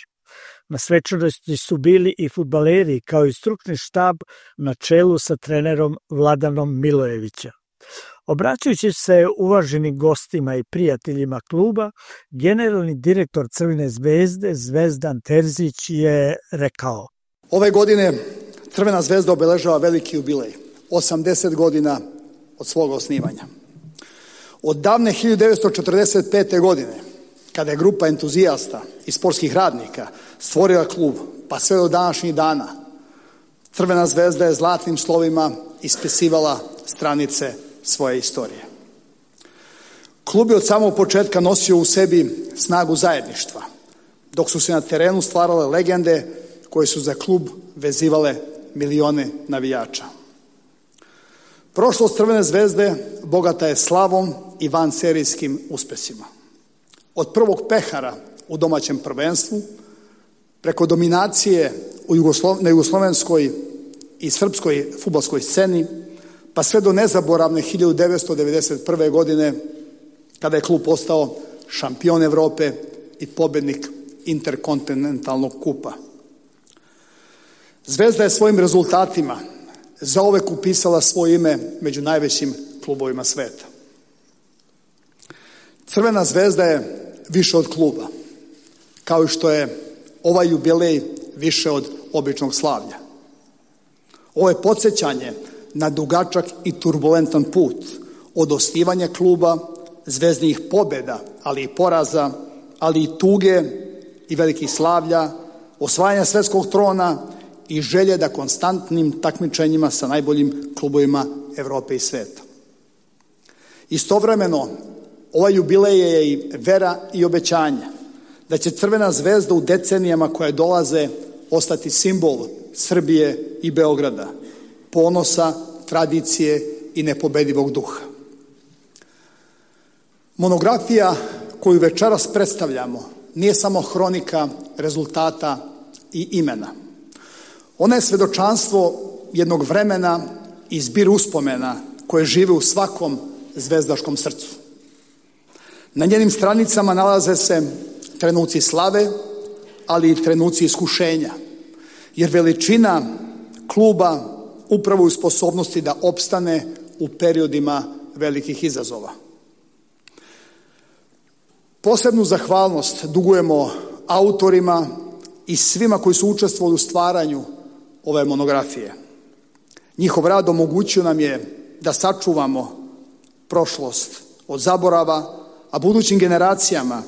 Na svečanosti su bili i fudbaleri kao i stručni štab na čelu sa trenerom Vladanom Milojevića. Obraćajući se uvaženim gostima i prijateljima kluba, generalni direktor Crvene zvezde Zvezdan Terzić je rekao:
Ove godine Crvena zvezda obeležava veliki jubilej, osamdeset godina od svog osnivanja. Od davne hiljadu devetsto četrdeset pete. godine, kada je grupa entuzijasta i sportskih radnika stvorila klub, pa sve do današnjih dana, Crvena zvezda je zlatnim slovima ispisivala stranice svoje istorije. Klub je od samog početka nosio u sebi snagu zajedništva, dok su se na terenu stvarale legende koje su za klub vezivale milione navijača. Prošlost Crvene zvezde bogata je slavom i vanserijskim uspesima. Od prvog pehara u domaćem prvenstvu, preko dominacije u Jugoslov... na jugoslovenskoj i srpskoj fudbalskoj sceni, pa sve do nezaboravne hiljadu devetsto devedeset prve. godine, kada je klub postao šampion Evrope i pobednik interkontinentalnog kupa. Zvezda je svojim rezultatima zauvek upisala svoje ime među najvećim klubovima sveta. Crvena zvezda je više od kluba, kao i što je ovaj jubilej više od običnog slavlja. Ovo je podsjećanje na dugačak i turbulentan put od osnivanja kluba, zvezdnih pobjeda, ali i poraza, ali i tuge i velikih slavlja, osvajanja svetskog trona i želje da konstantnim takmičenjima sa najboljim klubovima Evrope i sveta. Istovremeno, ovaj jubilej je i vera i obećanje da će Crvena zvezda u decenijama koje dolaze ostati simbol Srbije i Beograda, ponosa, tradicije i nepobedivog duha. Monografija koju večeras predstavljamo nije samo hronika rezultata i imena. Ona je svedočanstvo jednog vremena i zbir uspomena koje žive u svakom zvezdaškom srcu. Na njenim stranicama nalaze se trenuci slave, ali i trenuci iskušenja, jer veličina kluba upravo u sposobnosti da opstane u periodima velikih izazova. Posebnu zahvalnost dugujemo autorima i svima koji su učestvovali u stvaranju ove monografije. Njihov rad omogućio nam je da sačuvamo prošlost od zaborava, a budućim generacijama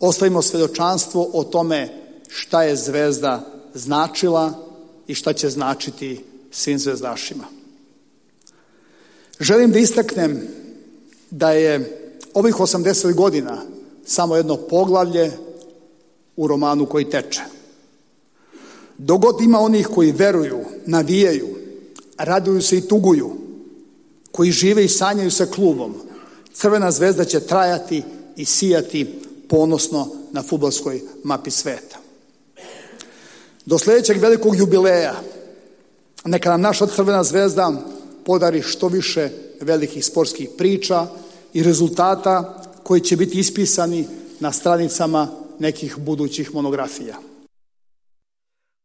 ostavimo svedočanstvo o tome šta je Zvezda značila i šta će značiti svim zvezdašima. Želim da istaknem da je ovih osamdeset godina samo jedno poglavlje u romanu koji teče. Dok god ima onih koji veruju, navijaju, raduju se i tuguju, koji žive i sanjaju sa klubom, Crvena zvezda će trajati i sijati ponosno na fudbalskoj mapi sveta. Do sljedećeg velikog jubileja neka nam naša Crvena zvezda podari što više velikih sportskih priča i rezultata koji će biti ispisani na stranicama nekih budućih monografija.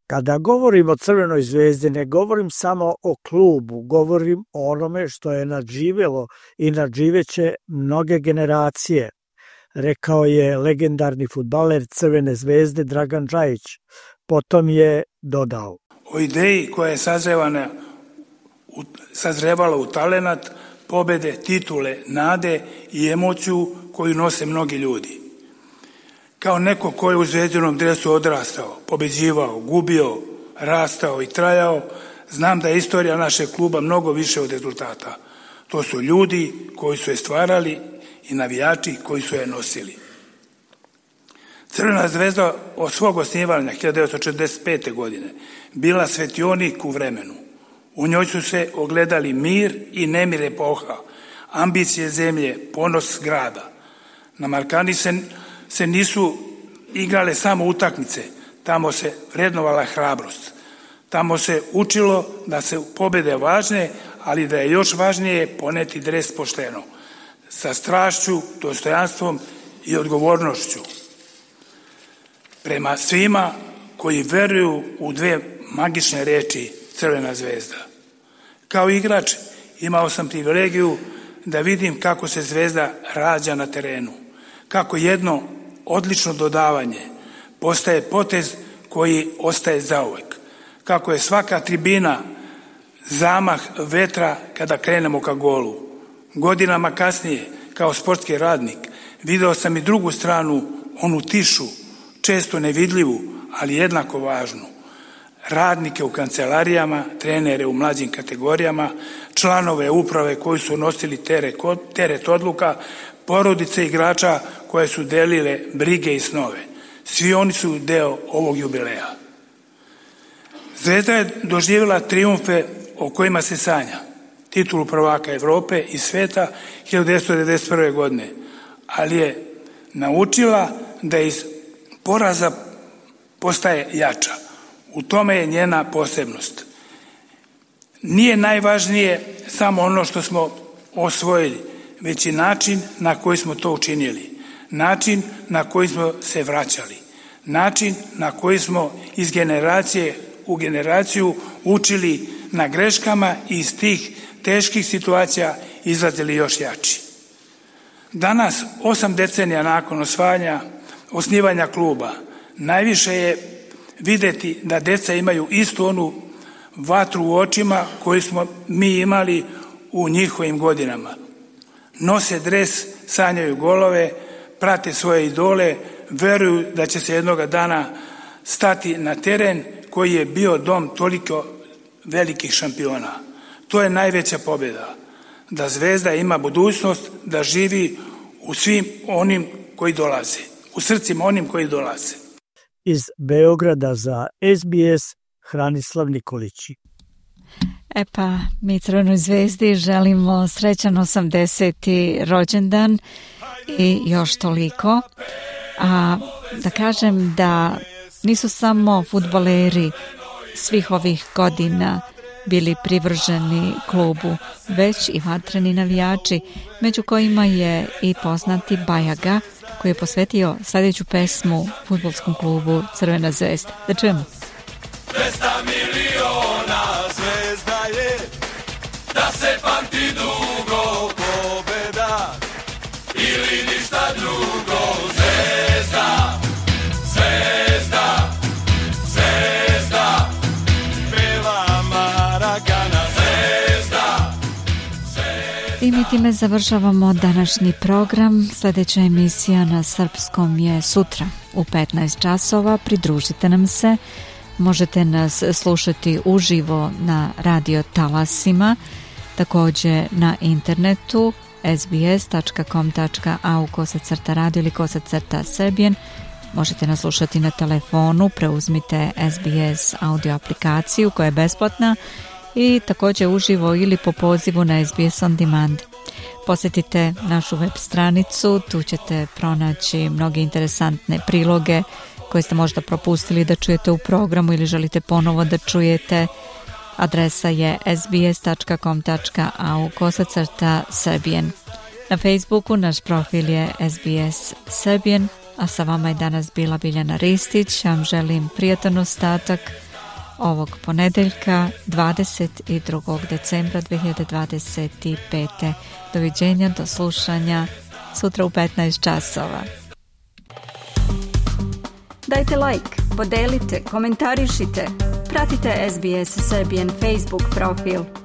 Kada govorim o Crvenoj zvezdi, ne govorim samo o klubu, govorim o onome što je nadživjelo i nadživeće mnoge generacije, rekao je legendarni fudbaler Crvene zvezde Dragan Džajić. Potom je dodao:
o ideji koja je sazrevana, sazrevala u talenat, pobede, titule, nade i emociju koju nose mnogi ljudi. Kao neko ko je u zvezdinom dresu odrastao, pobeđivao, gubio, rastao i trajao, znam da je istorija našeg kluba mnogo više od rezultata. To su ljudi koji su je stvarali i navijači koji su je nosili. Crvena zvezda od svog osnivanja hiljadu devetsto četrdeset pete. godine bila svetionik u vremenu. U njoj su se ogledali mir i nemir epoha, ambicije zemlje, ponos grada. Na Markani se, se nisu igrale samo utakmice, tamo se vrednovala hrabrost. Tamo se učilo da se pobjede važne, ali da je još važnije poneti dres pošteno, sa strašću, dostojanstvom i odgovornošću prema svima koji veruju u dve magične reči Crvena zvezda. Kao igrač imao sam privilegiju da vidim kako se Zvezda rađa na terenu, kako jedno odlično dodavanje postaje potez koji ostaje zauvek, kako je svaka tribina zamah vetra kada krenemo ka golu. Godinama kasnije, kao sportski radnik, video sam i drugu stranu, onu tišu, često nevidljivu, ali jednako važnu. Radnike u kancelarijama, trenere u mlađim kategorijama, članove uprave koji su nosili teret odluka, porodice igrača koje su delile brige i snove. Svi oni su deo ovog jubileja. Zvezda je doživjela trijumfe o kojima se sanja. Titulu prvaka Evrope i sveta hiljadu devetsto devedeset prve. godine, ali je naučila da iz poraza postaje jača. U tome je njena posebnost. Nije najvažnije samo ono što smo osvojili, već i način na koji smo to učinili, način na koji smo se vraćali, način na koji smo iz generacije u generaciju učili na greškama i iz tih teških situacija izlazili još jači. Danas, osam decenija nakon osvajanja, osnivanja kluba, najviše je vidjeti da deca imaju istu onu vatru u očima koju smo mi imali u njihovim godinama. Nose dres, sanjaju golove, prate svoje idole, veruju da će se jednoga dana stati na teren koji je bio dom toliko velikih šampiona. To je najveća pobjeda. Da Zvezda ima budućnost, da živi u svim onim koji dolaze, u srcima onim koji dolaze.
Iz Beograda za S B S Hranislav Nikolić.
E pa, mi Crvenoj zvezdi želimo srećan osamdeseti rođendan i još toliko. A da kažem da nisu samo fudbaleri svih ovih godina bili privrženi klubu, već i vatreni navijači, među kojima je i poznati Bajaga, koji je posvetio sljedeću pesmu fudbalskom klubu Crvena zvezda. Da čujemo.
Dvesta miliona zvezda je, da se pamti dugo pobeda, ili ništa drugo. Zvezda, zvezda, zvezda, peva Marakana. Zvezda, zvezda.
I mi time završavamo današnji program. Sljedeća emisija na srpskom je sutra u petnaest časova. Pridružite nam se. Možete nas slušati uživo na radio talasima, također na internetu s b s tačka com tačka a u kosacrta radio ili kosacrta srbijen. Možete nas slušati na telefonu, preuzmite S B S audio aplikaciju koja je besplatna i također uživo ili po pozivu na S B S On Demand. Posjetite našu web stranicu, tu ćete pronaći mnoge interesantne priloge koje ste možda propustili da čujete u programu ili želite ponovo da čujete. Adresa je s b s tačka com tačka a u kosacrta srbijen. Na Facebooku naš profil je S B S Srbijen, a sa vama je danas bila Biljana Ristić. Ja vam želim prijatan ostatak ovog ponedeljka dvadeset drugog decembra dve hiljade dvadeset pete. Doviđenja, do slušanja sutra u petnaest časova.
Dajte like, podelite, komentarišite. Pratite S B S Serbian Facebook profil.